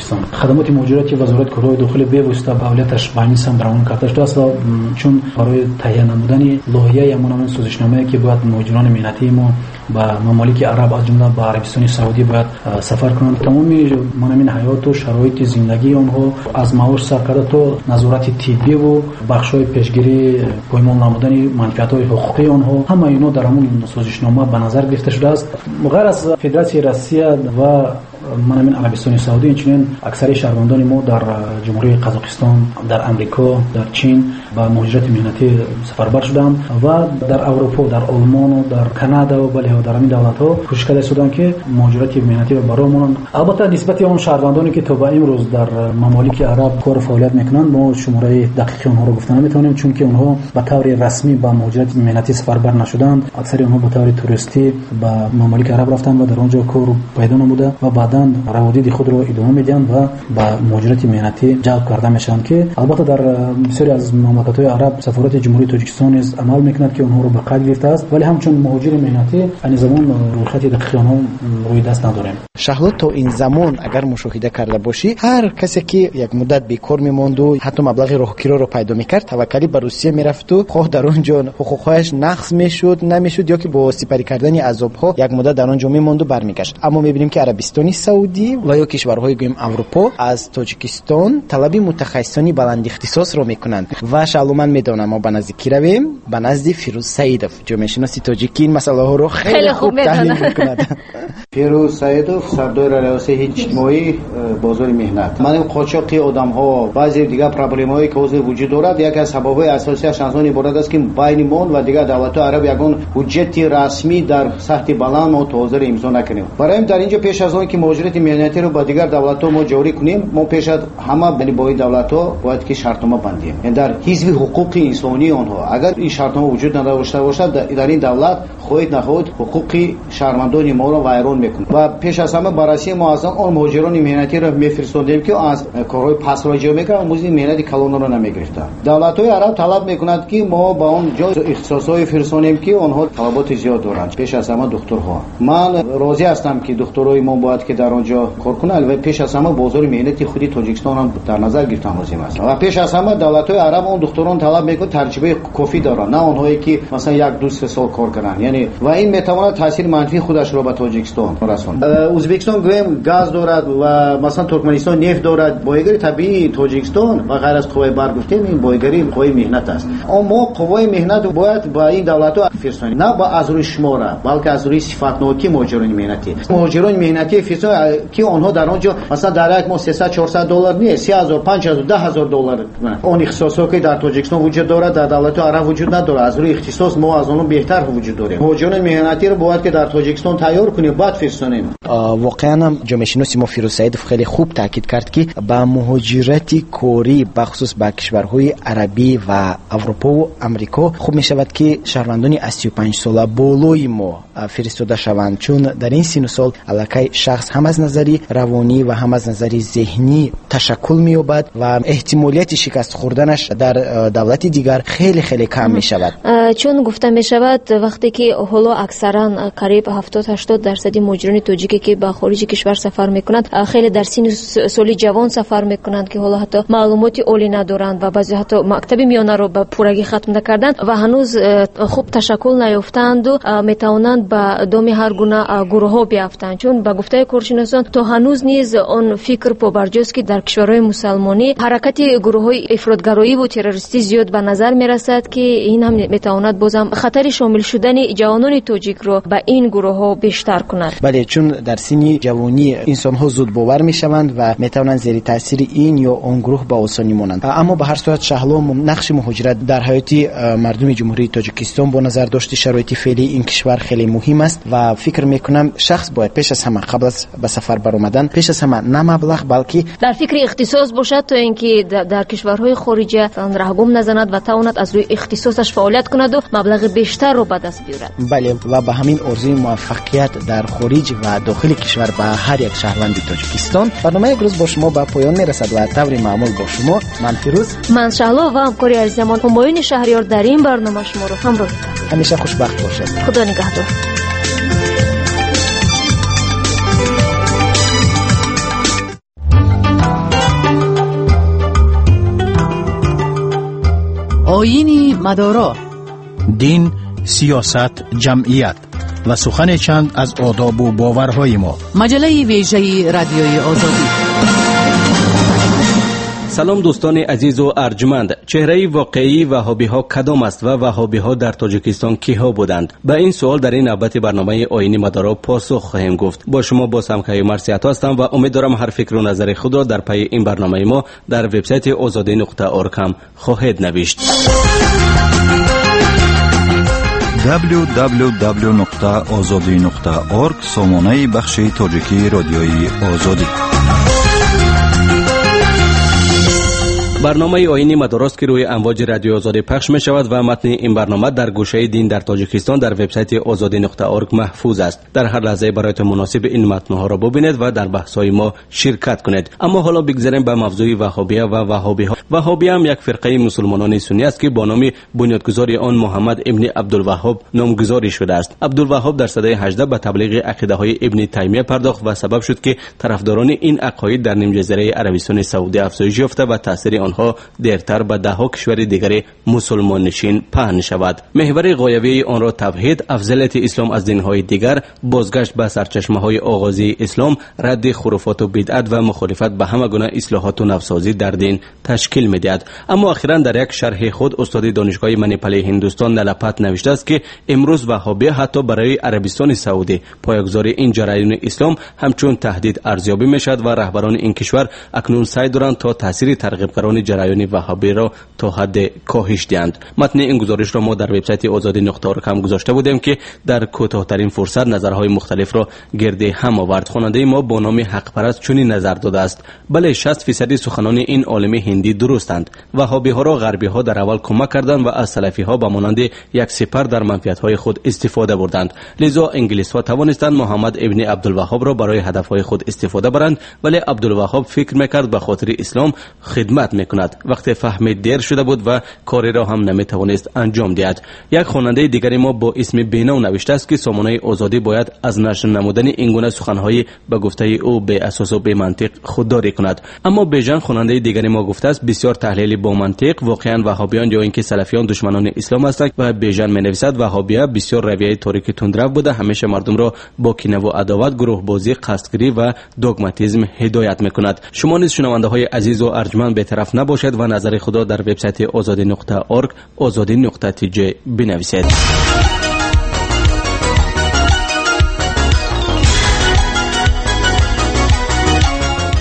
Тоҷикистон. Хадамоти муҳоҷирати Вазорати корҳои дохилӣ бевосита ба фаъолияташ ба ҳамин самт равон карда шудааст ва чун барои таҳия намудани лоиҳаи ҳамон созишномае, ки бояд муҳоҷирони меҳнатии мо ба мамолики араб, аз ҷумла ба Арабистони Саудӣ бояд сафар кунанд, тамоми ҳамин ҳаёту шароити зиндагии онҳо аз маош сар карда то назорати тиббиву бахшҳои пешгирии поймол намудани манфиатҳои ҳуқуқии онҳо, ҳамаи инҳо дар ҳамон созишнома ба назар гирифта шудааст. Ғайр аз Федератсияи Россия ва ҳамин Арабистони Саудӣ, инчунин аксари шаҳрвандони мо дар Ҷумҳурии Қазоқистон, дар Амрико, дар Чин ба муҳоҷирати меҳнатӣ сафарбар шуданд ва дар Аврупо, дар Олмону дар Канада ва бале дар ҳамин давлатҳо кӯшиш карда истоданд, ки муҳоҷирати меҳнатиро ба роҳ монанд. Албатта, нисбати он шаҳрвандоне, ки то ба имрӯз дар мамолики араб кору фаъолият мекунанд, мо шумораи дақиқи онҳоро гуфта наметавонем, чунки онҳо ба таври расмӣ ба муҳоҷирати меҳнатӣ сафарбар нашуданд. Аксари онҳо ба таври туристӣ ба мамолики араб рафтанд ва дар он ҷо кор пайдо намуда ва баъдан раводиди худро идома медиҳанд ва ба муҳоҷирати меҳнатӣ ҷалб карда мешаванд, ки албатта дар бисёре аз мамлакатҳои араб сафорати Ҷумҳурии Тоҷикистон низ амал мекунад, ки онҳоро ба қайд гирифтааст, вале ҳамчун муҳоҷири меҳнатӣ айни замон рӯйхати дақиқи онҳо рӯи даст надорем. Шаҳло, то ин замон агар мушоҳида карда бошӣ, ҳар касе ки як муддат бекор мемонду ҳатто маблағи роҳкироро пайдо мекард, таваккалӣ ба Русия мерафту хоҳ дар он ҷо ҳуқуқҳояш нақз мешуд, намешуд, ё ки бо сипарӣ кардани азобҳо як муддат дар он ҷо мемонду бармегашт. Аммо мебинем, ки Арабистони Саудӣ ва ё кишварҳои гӯем Аврупо аз Тоҷикистон талаби мутахассисони баландихтисосро мекунанд. Ва Шаҳло, ман медонам, мо ба назди кӣ равем? Ба назди Фирӯз Саидов, ҷомеашиноси тоҷикӣ, ин масъалаҳоро хеле хуб таҳлил мекунад. Фирӯз Саидов, сардори раёсати иҷтимоӣ, бозори меҳнат. Ман қочоқи одамҳо, баъзе дигар проблемаҳое, ки ҳозир вуҷуд дорад, яке аз сабабҳои асосиаш аз он иборат аст, ки байни мо ва дигар давлатҳои араб ягон ҳуҷҷати расмӣ дар сатҳи баланд мо то ҳозир имзо накардем. Барои ин дар инҷо пеш аз он ки муҳоҷирати меҳнатиро ба дигар давлатҳо мо ҷорӣ кунем, мо пеш аз ҳама бо ин давлатҳо бояд ки шартнома бандем, яъне дар ҳизби ҳуқуқи инсонии онҳо. Агар ин шартнома вуҷуд надошта бошад, дар ин давлат хоҳед нахоҳед ҳуқуқи шаҳрвандони моро вайрон мекунад. Ва пеш аз ҳама ба Россия мо аз он муҳоҷирони меҳнатиро мефиристодем, ки аз корҳои пасро иҷро мекарданд, музди меҳнати калонро намегирифтанд. Давлатҳои араб талаб мекунанд, ки мо ба он ҷо ихтисосҳое фиристонем, ки онҳо талаботи зиёд доранд, пеш аз ҳама духтурҳо. Ман розӣ ҳастам, ки духтурҳои мо бояд ки дар он ҷо кор кунанд, ва пеш аз ҳама бозори меҳнати худи Тоҷикистон ҳам дар назар гирифтан лозим аст. Ва пеш аз ҳама давлатҳои араб он духтурон талаб мекунанд таҷрибаи кофӣ доранд, на онҳое ки масалан 1-2-3 сол кор карданд. Яъне ва ин метавонад таъсири манфии худашро ба Тоҷикистон расонад. Ӯзбекистон гӯем газ дорад ва масалан Туркманистон нефт дорад. Бойгарии табиии Тоҷикистон ва ғайр аз қувваи барқ гуфтем, ин бойгарии қувваи меҳнат аст. Мо қувваи меҳнат бояд ба ин давлатҳо фирсонем, на аз рӯи шумора, балки аз рӯи сифатнокии муҳоҷирони меҳнатӣ. Муҳоҷирони меҳнатӣ фирсон, ки онҳо дар он ҷо масалан дар як моҳ 300-400 доллар не, 3000, 5000, 10000 доллар. Он ихтисосҳое ки дар Тоҷикистон вуҷуд дорад, дар давлатҳои араб вуҷуд надорад. Аз рӯи ихтисос мо аз онҳо беҳтар вуҷуд дорем. Муҳоҷирони меҳнатиро бояд ки дар Тоҷикистон тайёр кунем, баъд фирсонем. Воқеан ҳам ҷомеашиноси мо Фирӯз Саидов хеле хуб таъкид кард, ки ба муҳоҷирати корӣ бахусус ба кишварҳои арабӣ ва Аврупову Амрико хуб мешавад, ки шаҳрвандони аз 35 сола болои мо фиристода шаванд, чун дар ин сину сол аллакай шахс ҳам аз назари равонӣ ва ҳам аз назари зеҳнӣ ташаккул меёбад ва эҳтимолияти шикаст хӯрданаш дар давлати дигар хеле хеле кам мешавад. Чун гуфта мешавад, вақте ки ҳоло аксаран қариб 70-80% муҳоҷирони тоҷике, ки ба хориҷи кишвар сафар мекунанд, хеле дар синну соли ҷавон сафар мекунанд, ки ҳоло ҳатто маълумоти олӣ надоранд ва баъзе ҳатто мактаби миёнаро ба пуррагӣ хатм накарданд ва ҳанӯз хуб ташаккул наёфтаанду метавонанд ба доми ҳар гуна гурӯҳҳо биафтанд. Чун ба гуфтаи коршиносон, то ҳанӯз низ он фикр побарҷост, ки дар кишварҳои мусалмонӣ ҳаракати гурӯҳҳои ифротгароиву террористӣ зиёд ба назар мерасад, ки ин ҳам метавонад бозам хатари шомил шудани ҷавонони тоҷикро ба ин гурӯҳҳо бештар кунад. Бале, чун дар синни ҷавонӣ инсонҳо зудбовар мешаванд ва метавонанд зери таъсири ин ё он гурӯҳ ба осонӣ монанд. Аммо ба ҳар сурат, Шаҳло, нақши муҳоҷират дар ҳаёти мардуми Ҷумҳурии Тоҷикистон бо назардошти шароити феълии ин кишвар хеле муҳим аст ва фикр мекунам, шахс бояд пеш аз ҳама қабл аз ба сафар баромадан пеш аз ҳама на маблағ, балки дар фикри ихтисос бошад, то ин ки дар кишварҳои хориҷа раҳгум назанад ва тавонад аз рӯи ихтисосаш фаъолият кунаду маблағи бештарро ба даст биёрад. Бале, ва ба ҳамин орзуи муваффақият дар хориҷ ва дохили кишвар ба ҳар як шаҳрванди Тоҷикистон барномаи як рӯз бо шумо ба поён мерасад ва таври маъмул бо шумо ман Фирӯз, ман Шаҳло ва ҳамкори азизамон Ҳумоюни Шаҳриёр дар ин барнома шуморо ҳамроҳӣ кардем. Ҳамеша хушбахт бошед. Худо нигаҳдор. Оини мадоро. Дин, сиёсат, ҷамъият ва сухане чанд аз одобу боварҳои мо. Маҷаллаи вежаи Радиои Озодӣ. Салом, дӯстони азизу арҷманд. Чеҳраи воқеии ваҳобиҳо кадом аст ва ваҳобиҳо дар Тоҷикистон киҳо буданд? Ба ин суол дар ин навбати барномаи Оини мадоро посух хоҳем гуфт. Бо шумо боз ҳам Каюмар Сиҳатто ҳастам ва умед дорам, ҳар фикру назари худро дар пайи ин барномаи мо дар вебсайти озодӣ.орг ҳам хоҳед навишт. www.ozodi.org, сомонаи бахши тоҷикии Радиои Озодӣ. Барномаи Оини мадорост, ки рӯи амвоҷи Радиои Озодӣ пахш мешавад ва матни ин барнома дар гӯшаи «Дин дар Тоҷикистон» дар вебсайти озодӣ.орг маҳфуз аст. Дар ҳар лаҳзае бароятон муносиб ин матнҳоро бубинед ва дар баҳсҳои мо ширкат кунед. Аммо ҳоло бигзарем ба мавзӯи ваҳобия ва ваҳобиҳо. Ваҳобия ҳам як фирқаи мусулмонони суннӣ аст, ки бо номи бунёдгузори он Муҳаммад ибни Абдулваҳҳоб номгузорӣ шудааст. Абдулваҳҳоб дар садаи 18 ба таблиғи ақидаҳои Ибни Таймия пардохт ва сабаб шуд, ки тарафдорони ин ақоид дар нимҷазираи Арабистони Саудӣ афзоиш ёфта ва таъсири онҳо дертар ба даҳҳо кишвари дигари мусулмоннишин паҳн шавад. Меҳвари ғоявии онро тавҳид, афзалияти ислом аз динҳои дигар, бозгашт ба сарчашмаҳои оғозии ислом, радди хуруфоту бидъат ва мухолифат ба ҳама гуна ислоҳоту навсозӣ дар дин ташкил медиҳад. Аммо охиран дар як шарҳи худ устоди Донишгоҳи Манипали Ҳиндустон Налапат навиштааст, ки имрӯз ваҳобия ҳатто барои Арабистони Саудӣ поягузори ин ҷараёни ислом ҳамчун таҳдид арзёбӣ мешавад ва раҳбарони ин кишвар акнун саъй доранд, то таъсири тарғибгарони ҷараёни ваҳобиро то ҳадде коҳиш диҳанд. Матни ин гузоришро мо дар вебсайти озодӣ.орг ҳам гузошта будем, ки дар кӯтоҳтарин фурсат назарҳои мухталифро гирди ҳам овард. Хонандаи мо бо номи Ҳақпараст чунин назар додааст: «Бале, 60 фисади суханони ин олими ҳиндӣ дурустанд. Ваҳобиҳоро ғарбиҳо дар аввал кӯмак карданд ва аз салафиҳо ба монанди як сипар дар манфиатҳои худ истифода бурданд. Лизо инглисҳо тавонистанд Муҳаммад ибни Абдулваҳҳобро барои ҳадафҳои худ истифода баранд. Вале Абдулваҳҳоб фикр мекард, ба хотири ислом хидмат мекунад. Вақте фаҳмид, дер шуда буд ва кореро ҳам наметавонист анҷом диҳад». Як хонандаи дигари мо бо исми Беном навиштааст, ки сомонаи Озодӣ бояд аз нашр намудани ин гуна суханҳои ба гуфтаи ӯ беасосу бемантиқ худдорӣ кунад. Аммо Бежан, хонандаи дигари мо, гуфтааст: «Бисёр таҳлили бомантиқ. Воқеан, ваҳобиён ё ин ки салафиён душманони ислом ҳастанд». Ва Бежан менависад: «Ваҳобия бисёр равияи торики тундрав буда, ҳамеша мардумро бо кинаву адоват, гурӯҳбозӣ, қасдгирӣ ва догматизм ҳидоят мекунад». Шумо низ, шунавандаҳои азизу арҷманд, бетараф набошед ва назари худро дар вебсайти озодӣ.орг, озодӣ.тj бинависед.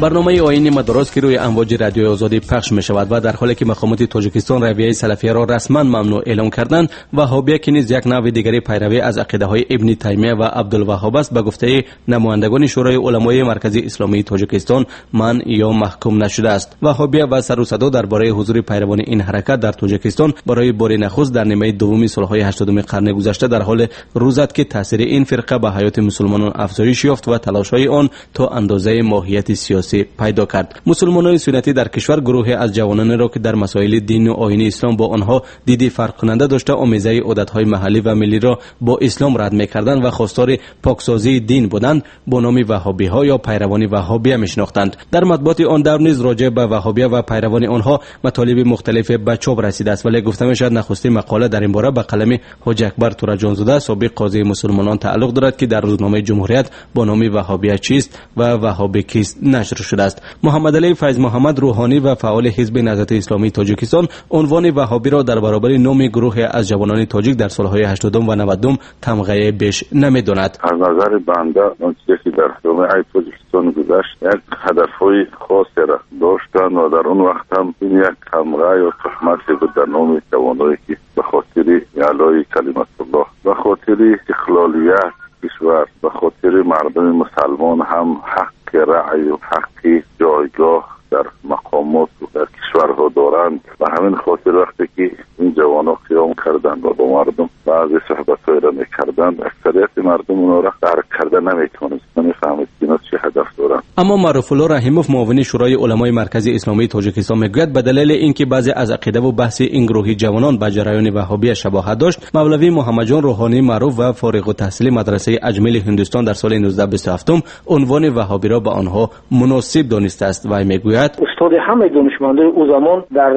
Барномаи Оини мадорост, ки рӯи амвоҷи Радиои Озодӣ пахш мешавад. Ва дар ҳоле ки мақомоти Тоҷикистон равияи салафияро расман мамнӯъ эълон карданд, ваҳобия, ки низ як навъи дигари пайравӣ аз ақидаҳои Ибни Таймия ва Абдулваҳҳоб аст, ба гуфтаи намояндагони Шӯрои уламои Маркази Исломии Тоҷикистон манъ ё маҳкум нашудааст. Ваҳобия ва сару садо дар бораи ҳузури пайравони ин ҳаракат дар Тоҷикистон барои бори нахуст дар нимаи дуввуми солҳои 80-уми қарни гузашта дар ҳоле рӯ зад, ки таъсири ин фирқа ба ҳаёти мусулмонон афзоиш ёфт ва талошҳои он то андозаи моҳияти сиёсӣ пайдо кард. Мусулмонони суннатӣ дар кишвар гурӯҳе аз ҷавононеро, ки дар масоили дину оини ислом бо онҳо диди фарқкунанда дошта, омезаи одатҳои маҳаллӣ ва миллиро бо ислом рад мекарданд ва хостори поксозии дин буданд, бо номи ваҳобиҳо ё пайравони ваҳобия мешинохтанд. Дар матбуоти он давр низ роҷеъ ба ваҳобия ва пайравони онҳо матолиби мухталифе ба чоп расидааст. Вале гуфта мешавад, нахустин мақола дар ин бора ба қалами Ҳоҷи Акбар Тураҷонзода, собиқ қозии мусулмонон, тааллуқ дорад, ки дар рӯзномаи Ҷумҳурият бо номи «Ваҳобия чист ва ваҳобӣ кист» нашр шудааст. Муҳаммадалӣ Файзмуҳаммад, рӯҳонӣ ва фаъоли Ҳизби Наҳзати Исломии Тоҷикистон, унвони ваҳобиро дар баробари номи гурӯҳе аз ҷавонони тоҷик дар солҳои 80-ум ва 90-ум тамғае беш намедонад. Аз назари банда, он чизе ки дар ҷомеаи Тоҷикистон гузашт, як ҳадафҳои хосеро доштанд ва дар он вақт ҳам ин як тамға ё туҳмате буд дар номи ҷавоное, ки ба хотири аълои калиматуллоҳ, ба хотири истиқлолият кишвар, ба хотири мардуми мусалмон ҳам ҳаққи раъю ҳаққи ҷойгоҳ дар мақомот дар кишварҳо доранд. Ба ҳамин хотир, вақте ки ин ҷавонҳо қиём карданд ва бо мардум баъзе суҳбатҳоеро мекарданд, аксарияти мардум онҳоро дарк карда наметавонист, намефаҳмид, ки инҳо чӣ ҳадаф доранд. Аммо Маъруфулло Раҳимов, муовини Шӯрои уламои Маркази Исломии Тоҷикистон, мегӯяд, ба далели ин ки баъзе аз ақидаву баҳси ин гурӯҳи ҷавонон ба ҷараёни ваҳобия шабоҳат дошт, мавлавӣ Муҳаммадҷон, рӯҳонии маъруф ва фориғутаҳсили мадрасаи Аҷмили Ҳиндустон, дар соли 1927 унвони ваҳобиро ба онҳо муносиб донистааст. Вай мегӯяд: Устоди ҳамаи донишмандои ӯ замон дар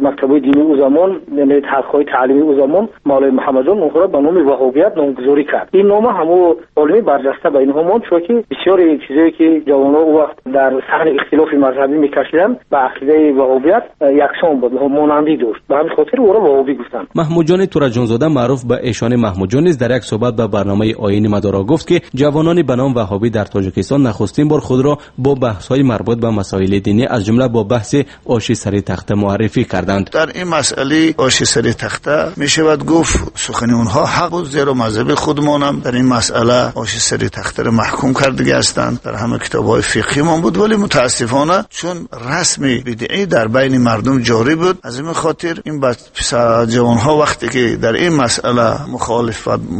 мактабҳои динии ӯ замон, яъне ҳалқаҳои таълимии ӯ замон, Мавлавӣ Муҳаммадҷон онҳоро ба номи ваҳобият номгузорӣ кард. Ин нома ҳамо олими барҷаста ба инҳо монд, чунки бисёри чизое ки ҷавонҳо ӯ вақт дар саҳни ихтилофи мазҳабӣ мекашиданд ба ақидаи ваҳобият яксон буд, монандӣ дошт. Ба ҳамин хотир ӯро ваҳобӣ гуфтанд. Маҳмудҷони Тураҷонзода маъруф ба Эшони Маҳмудҷон низ дар як суҳбат ба барномаи Оини Мадоро гуфт, ки ҷавонони ба ном ваҳобӣ дар Тоҷикистон нахустин бор худро бо баҳсҳои марбут ба масоили динӣ аз ҷумла бо баҳси оши сари тахта муаррифӣ карданд. Дар ин масъалаи оши сари тахта мешавад гуфт сухани онҳо ҳақ буд, зеро мазҳаби худмонам дар ин масъала оши сари тахтаро маҳкум кардагӣ ҳастанд. Дар ҳама китобҳои фиқҳимон буд, вале мутаассифона чун расми бидъӣ дар байни мардум ҷорӣ буд, аз ин хотир ин ҷавонҳо вақте ки дар ин масъала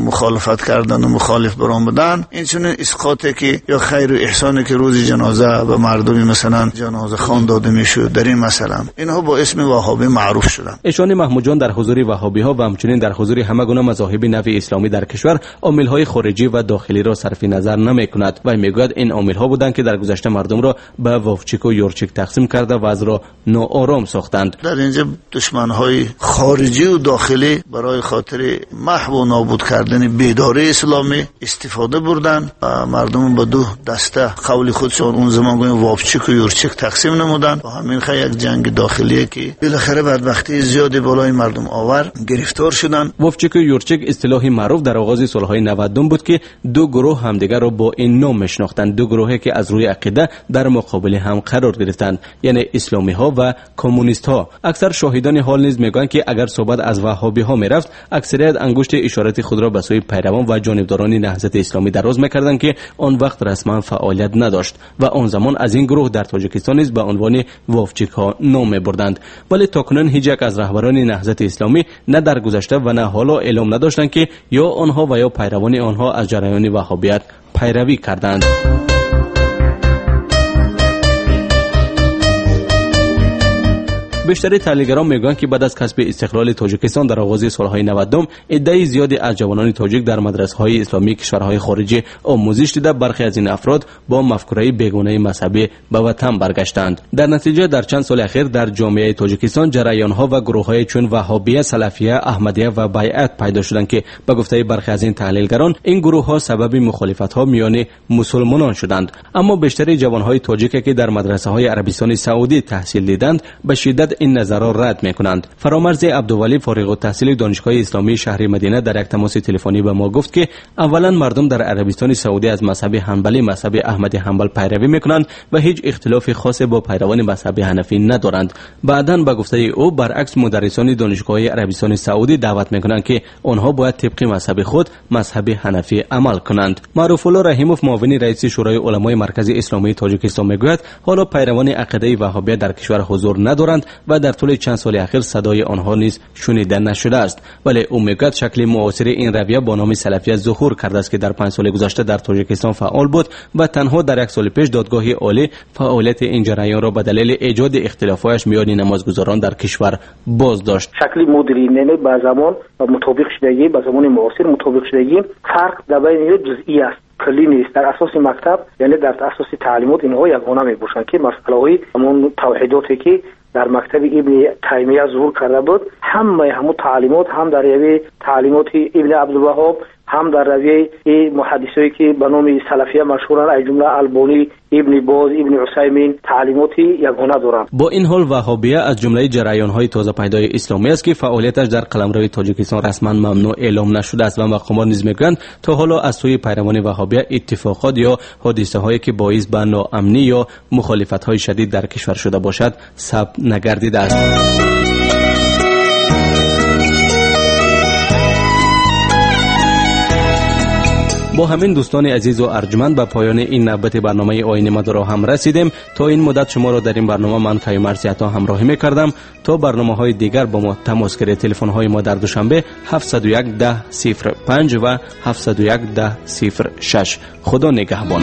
мухолифат карданд ва мухолиф баромаданд, инчунин исқоте ки ё хайру эҳсоне ки рӯзи ҷаноза ба мардуми масалан ҷанозахон дода мешуд, дар ин масъала инҳо бо исми ваҳобӣ маъруф шуданд. Эшони Маҳмудҷон дар ҳузури ваҳобиҳо ва ҳамчунин дар ҳузури ҳама гуна мазоҳиби нави исломӣ дар кишвар омилҳои хориҷӣ ва дохилиро сарфи назар намекунад ва мегӯяд ин омилҳо буданд, ки дар гузашта мардумро ба вовчику юрчик тақсим карда вазъро ноором сохтанд. Дар инҷо душманҳои хориҷӣ ва дохилӣ барои хотири маҳв ва нобуд кардани бедории исломӣ истифода бурданд ва мардум ба ду даста қавли худшон он замон гӯем вовчик ва юрчик тақсим намуданд ва ҳамин хел як ҷанги дохилие ки билохира бадбахтии зиёде болои мардум овард гирифтор шуданд. Вовчик ва юрчик истилоҳи маъруф дар оғози солҳои 90 буд, ки ду гурӯҳ ҳамдигарро бо ин ном мешинохтанд. Ду гурӯҳе ки аз рӯи ақида дар муқобили ҳам қарор гирифтанд, яъне исломиҳо ва коммунистҳо. Аксар шоҳидони ҳол низ мегӯянд, ки агар суҳбат аз ваҳҳобиҳо мерафт, аксарият ангушти ишорати худро ба сӯи пайравон ва ҷонибдорони наҳзати исломӣ дароз мекарданд, ки он вақт расман фаъолият надошт ва он замон аз ин гурӯҳ дар Тоҷикистон низ ба унвони вовчикҳо ном мебурданд. Вале то кунун ҳеҷ як аз раҳбарони наҳзати исломӣ на дар гузашта ва на ҳоло эълом надоштанд, ки ё онҳо ва ё пайравони онҳо аз ҷараёни ваҳҳобият пайравӣ карданд. Бештари таҳлилгарон мегӯянд, ки баъд аз касби истиқлоли Тоҷикистон дар оғози солҳои 90 иддаи зиёде аз ҷавонони тоҷик дар мадрасаҳои исломии кишварҳои хориҷӣ омӯзиш дида, бархе аз ин афрод бо мафкураи бегонаи мазҳабӣ ба ватан баргаштанд. Дар натиҷа дар чанд соли ахир дар ҷомеаи Тоҷикистон ҷараёнҳо ва гурӯҳҳое чун ваҳҳобия, салафия, аҳмадия ва байъат пайдо шуданд, ки ба гуфтаи бархе аз ин таҳлилгарон ин гурӯҳҳо сабаби мухолифатҳо миёни мусулмонон шуданд. Аммо бештари ҷавонҳои тоҷике ки дар мадрасаҳои Арабистони Саудӣ таҳсил диданд, ба шиддат ин назарро рад мекунанд. Фаромарзи Абдувалӣ, фориғултаҳсили Донишгоҳи Исломии шаҳри Мадина, дар як тамоси телефонӣ ба мо гуфт, ки аввалан мардум дар Арабистони Саудӣ аз мазҳаби ҳанбалӣ, мазҳаби Аҳмади Ҳанбал пайравӣ мекунанд ва ҳеҷ ихтилофи хосе бо пайравони мазҳаби ҳанафӣ надоранд. Баъдан ба гуфтаи ӯ баръакс мударрисони донишгоҳи Арабистони Саудӣ даъват мекунанд, ки онҳо бояд тибқи мазҳаби худ, мазҳаби ҳанафӣ амал кунанд. Маъруфулло Раҳимов, муовини раиси Шӯрои уламои Маркази Исломии Тоҷикистон, мегӯяд ҳоло пайравони ақидаи ваҳҳобия дар кишвар ҳузур надоранд ва дар тӯли чанд соли ахир садои онҳо низ шунида нашудааст. Вале ӯ мегӯяд шакли муосири ин равия бо номи салафия зуҳур кардааст, ки дар 5 соли гузашта дар Тоҷикистон фаъол буд ва танҳо дар як соли пеш додгоҳи олӣ фаъолияти ин ҷараёнро ба далели эҷоди ихтилофҳояш миёни намозгузорон дар кишвар боздошт. Шакли мудрин, яъне ба замон мутобиқ шудагӣ, ба замони муосир мутобиқ шудагӣ, фарқ дар байни ҷузъӣ аст, куллӣ нест. Дар асоси мактаб, яъне дар асоси таълимот инҳо ягона мебошанд, ки масъалаҳои ҳамон тавҳидоте ки дар мактаби Ибни Таймия зуҳур карда буд, ҳамаи ҳамон таълимот ҳам дар равияи таълимоти Ибни Абдулваҳҳоб, ҳам дар равияи муҳаддисое ки ба номи салафия машҳуранд, аз ҷумла Албонӣ, Ибни Боз, Ибни Усаймин, таълимоти ягона доранд. Бо ин ҳол ваҳҳобия аз ҷумлаи ҷараёнҳои тозапайдои исломӣ аст, ки фаъолияташ дар қаламрави Тоҷикистон расман мамнӯъ эълом нашудааст ва мақомот низ мегӯянд то ҳоло аз сӯи пайравони ваҳҳобия иттифоқот ё ҳодисаҳое ки боис ба ноамнӣ ё мухолифатҳои шадид дар кишвар шуда бошад сабт нагардидааст. Бо ҳамин дӯстони азизу арҷманд ба поёни ин навбати барномаи Оини Мадоро ҳам расидем. То ин муддат шуморо дар ин барнома ман Каюмарс Ято ҳамроҳӣ мекардам. То барномаҳои дигар бо мо тамос гиред. Телефонҳои мо дар Душанбе 701 10 05 ва 701 10 06. Худо нигаҳбон.